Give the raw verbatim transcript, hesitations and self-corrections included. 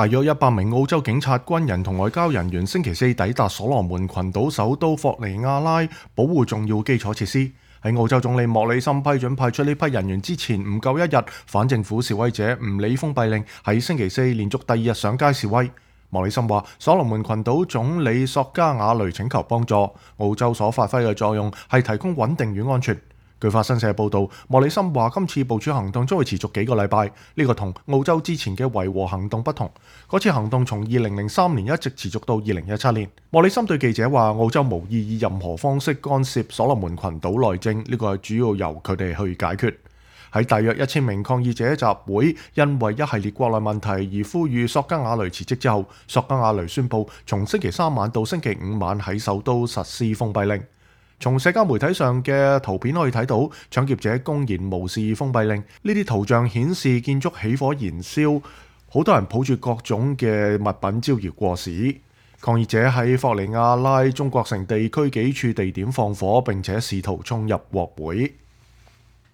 大約一百名澳洲警察、軍人同外交人員星期四抵達所羅門群島首都霍尼亞拉，保護重要基礎設施。喺澳洲總理莫里森批准派出呢批人員之前唔夠一日，反政府示威者唔理封閉令，喺星期四連續第二日上街示威。莫里森話：所羅門群島總理索加瓦雷請求幫助，澳洲所發揮嘅作用係提供穩定與安全。據法新社報導，莫里森話今次部署行動將會持續幾個禮拜，呢個同澳洲之前嘅維和行動不同。嗰次行動從二零零三年一直持續到二零一七年。莫里森對記者話：澳洲無意以任何方式干涉所羅門群島內政，呢個係主要由佢哋去解決。喺大約一千名抗議者集會，因為一系列國內問題而呼籲索加瓦雷辭職之後，索加瓦雷宣布從星期三晚到星期五晚喺首都實施封閉令。從社交媒體上嘅圖片可以睇到，搶劫者公然無視封閉令。呢啲圖像顯示建築起火燃燒，好多人抱住各種嘅物品招搖過市。抗議者喺霍尼亞拉中國城地區幾處地點放火，並且試圖衝入國會。